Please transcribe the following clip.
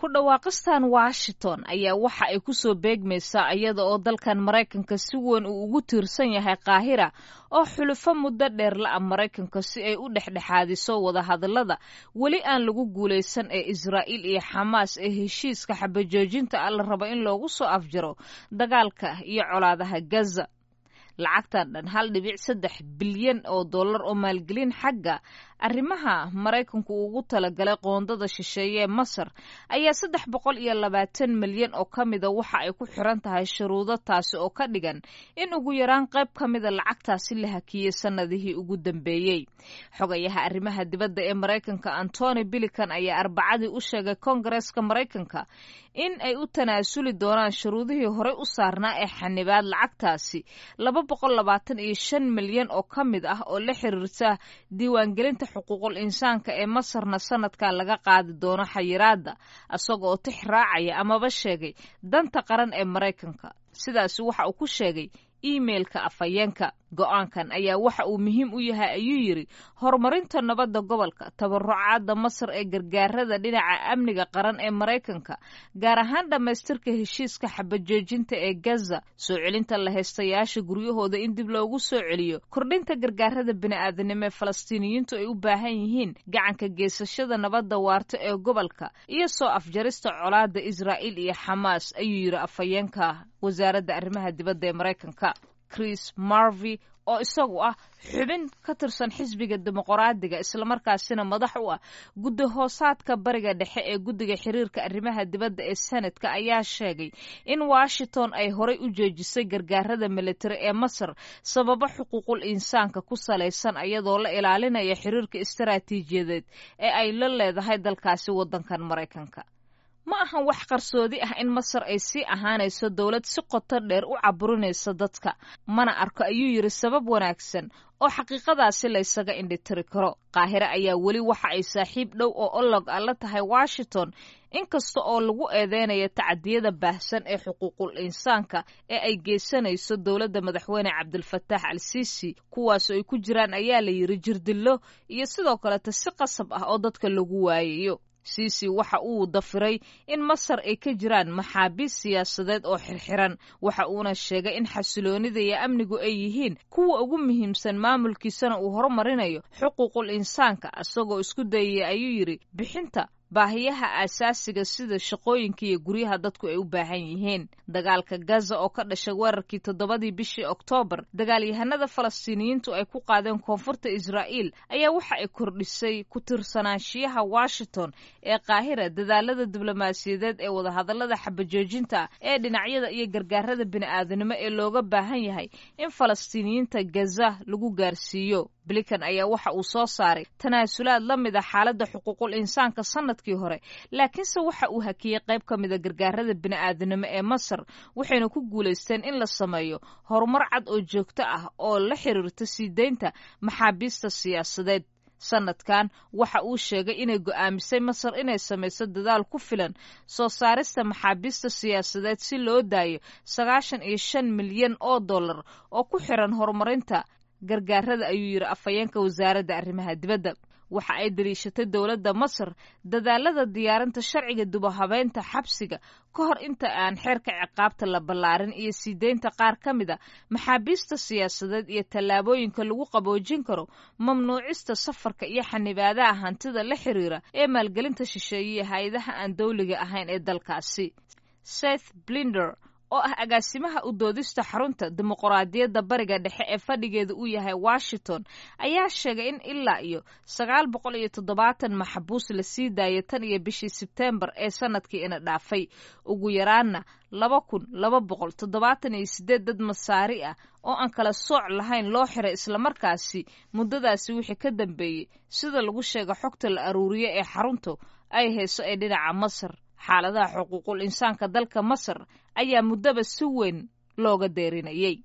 Ku dhawaaqistan Washington ayaa waxa ay ku soo beegmaysaa iyada oo dalkan Maraykanka si weyn uu ugu tiirsan yahay Qaahira, oo xulufo muddo dheer la-a Maraykanka, si ay u dhexdhexaadiso wadahadallada weli aan lagu guulaysan ee Israa'iil iyo Xamaas ee heshiiska xabajoojinta ah la rabo in loogu soo afjaro dagaalka iyo colaadaha Gaza. Lacagtan dhan 1.3 bilyan oo dollar oo maalgelin xagga arrimaha Maraykanku ugu talagalay qoondada shisheeye ee Masar ayaa 320 milyan oo ka mida waxa ay ku xiran tahay shuruudo, taasi oo ka dhigan in ugu yaraan qayb ka mida lacagtaasi la hakiyey sannadihii ugu dambeeyey. Xogayaha arrimaha dibadda ee Maraykanka Antony Blinken ayaa Arbacadii u sheegay Koongareeska Maraykanka in ay u tanaasuli doonaan shuruudihii horey u saarnaa ee xanibaad lacagtaasi 225 milyan oo ka mid ah oo la xiriirta diiwaangelinta xuquuqul insaanka ee Masarna sanadkan laga qaadi doono xayiraadda, isaga oo tix raacaya amaba sheegay danta qaran ee Maraykanka. Sidaasi waxa uu ku sheegay iimeilka afhayeenka. Go'aankan ayaa waxa uu muhiim u yahay, ayuu yidhi, horumarinta nabadda gobolka, tabarucaadda Masar ee gargaarada dhinaca amniga qaran ee Maraykanka, gaar ahaan dhammaystirka heshiiska xabajoojinta ee Gaza, soo celinta la haystayaasha guryahooda in dib loogu soo celiyo, kordhinta gargaarada bini'aadanimo ee Falastiiniyiintu ay u baahan yihiin, gacanka geysashada nabadda waarta ee gobolka iyo soo afjarista colaadda Israa'iil iyo Xamaas, ayuu yidhi afhayeenka wasaaradda arrimaha dibadda ee Maraykanka. Chris Murphy, oo isagu ah xubin ka tirsan xisbiga Dimuqraadiga, islamarkaasina madax u ah guddi hoosaadka Bariga Dhexe ee guddiga xiriirka arrimaha dibadda ee Senatka, ayaa sheegay in Washington ay horay u joojisay gargaarada militari ee Masar sababo xuquuqul insaanka ku salaysan, iyadoo la ilaalinaya xiriirka istaraatiijiyadeed ee ay la leedahay dalkaasi waddankan Maraykanka. Ma ahan wax qarsoodi ah in Masar ay sii ahaanayso dowlad si qoto dheer u caburinaysa dadka. Mana arko, ayuu yidhi, sabab wanaagsan oo xaqiiqadaasi laysaga indhitiri karo. Qaahire ayaa weli waxa ay saaxiib dhow oo olog ah la tahay Washington, inkasta oo lagu eedeynayo tacadiyada baahsan ee xuquuqul insaanka ee ay geysanayso dowladda madaxweyne Cabdilfataax al Siisi, kuwaasoo ay ku jiraan, ayaa la yidhi, jirdillo iyo sidoo kaleeta si qasab ah oo dadka lagu waayayo. Siisi waxa uu dafiray in Masar ay ka jiraan maxaabiis siyaasadeed oo xirxiran, waxa uuna sheegay in xasiloonida iyo amnigu ay yihiin kuwa ugu muhiimsan, maamulkiisana uu horumarinayo xuquuqul insaanka, isagoo isku dayaya, ayuu yidhi, bixinta baahiyaha aasaasiga sida shaqooyinka iyo guryaha dadku ay u baahan yihiin. Dagaalka Gaza oo ka dhashay weerarkii 7-dii bishii Oktoobar dagaalyahanada Falastiiniyiintu ay ku qaadeen koonfurta Israa'iil ayaa waxa ay kordhisay ku tiirsanaanshiyaha Washington ee Qaahira dadaalada diblomaasiyadeed ee wadahadallada xabajoojinta ee dhinacyada iyo gargaarada bini'aadanimo ee looga baahan yahay in Falastiiniyiinta Gaza lagu gaarsiiyo. Blinken ayaa waxa uu soo saaray tanaasulaad la mid a xaaladda xuquuqul insaanka sanadkii hore, laakiinse waxa uu hakiyey qayb ka mida gargaarada bini'aadanimo ee Masar, waxayna ku guulaysteen in la sameeyo horumar cad oo joogto ah oo la xiriirta sii deynta maxaabiista siyaasadeed. Sanadkan waxa uu sheegay inay go'aamisay Masar inay samayso dadaal ku filan soo saarista maxaabiista siyaasadeed si loo daayo 95 milyan oo dollar oo ku xiran horumarinta gargaarada, ayuu yidhi afhayeenka wasaaradda arrimaha dibadda. Waxa ay daliishatay dowladda Masar dadaalada diyaarinta sharciga dubahabeynta xabsiga ka hor inta aan xeerka ciqaabta la ballaarin iyo sii deynta qaar ka mid a maxaabiista siyaasadeed iyo tallaabooyinka lagu qaboojin karo mamnuucista safarka iyo xanibaadaha hantida la xiriira ee maalgelinta shisheeye iyo hay-adaha aan dowliga ahayn ee dalkaasi. Seth Blinder, oo ah agaasimaha u doodista xarunta dimuqraadiyadda Bariga Dhexe ee fadhigeeda uu yahay Washington, ayaa sheegay in ilaa iyo 970 maxbuus la sii daayay tan iyo bishii Sebteembar ee sanadkii ina dhaafay, ugu yaraanna 2278 dad Masaari ah oo aan kala sooc lahayn loo xiray islamarkaasi muddadaasi wixii ka dambeeyey, sida lagu sheega xogta la aruuriye ee xaruntu ay hayso ee dhinaca Masar. Xaaladaha xuquuqul insaanka dalka Masar ayaa muddaba si weyn looga deerinayay.